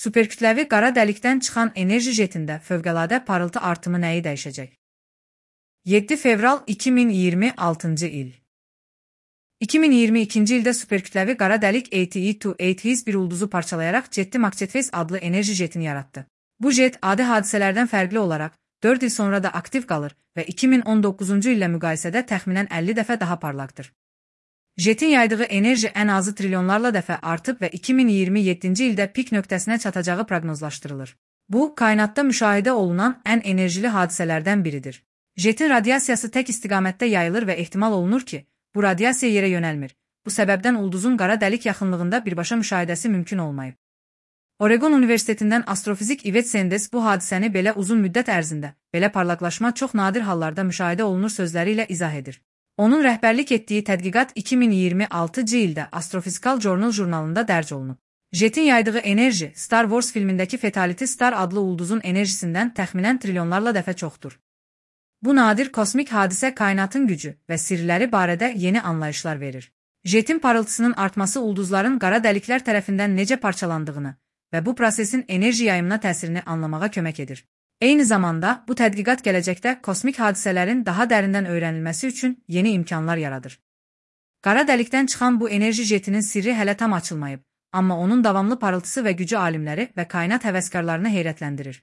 Superkütləvi qara dəlikdən çıxan enerji jetində fövqəladə parıltı artımı nəyi dəyişəcək? 7 fevral 2026 il. 2022-ci ildə superkütləvi qara dəlik ATE-2 bir ulduzu parçalayaraq Jetty Magnetfase adlı enerji jetini yaratdı. Bu jet adi hadisələrdən fərqli olaraq 4 il sonra da aktiv qalır və 2019-cu illə müqayisədə təxminən 50 dəfə daha parlaqdır. Jetin yaydığı enerji ən azı trilyonlarla dəfə artıb və 2027-ci ildə pik nöqtəsinə çatacağı proqnozlaşdırılır. Bu, kainatda müşahidə olunan ən enerjili hadisələrdən biridir. Jetin radiasiyası tək istiqamətdə yayılır və ehtimal olunur ki, bu radiasiya yerə yönəlmir. Bu səbəbdən ulduzun qara dəlik yaxınlığında birbaşa müşahidəsi mümkün olmayıb. Oregon Universitetindən astrofizik Yvette Sendes bu hadisəni belə uzun müddət ərzində, belə parlaqlaşma çox nadir hallarda müşahidə olunur sözləri ilə izah edir. Onun rəhbərlik etdiyi tədqiqat 2026-cı ildə Astrophysical Journal jurnalında dərc olunub. Jetin yaydığı enerji Star Wars filmindəki Fatality Star adlı ulduzun enerjisindən təxminən trilyonlarla dəfə çoxdur. Bu nadir kosmik hadisə kainatın gücü və sirləri barədə yeni anlayışlar verir. Jetin parıltısının artması ulduzların qara dəliklər tərəfindən necə parçalandığını və bu prosesin enerji yayımına təsirini anlamağa kömək edir. Eyni zamanda, bu tədqiqat gələcəkdə kosmik hadisələrin daha dərindən öyrənilməsi üçün yeni imkanlar yaradır. Qara dəlikdən çıxan bu enerji jetinin sirri hələ tam açılmayıb, amma onun davamlı parıltısı və gücü alimləri və kainat həvəskarlarını heyrətləndirir.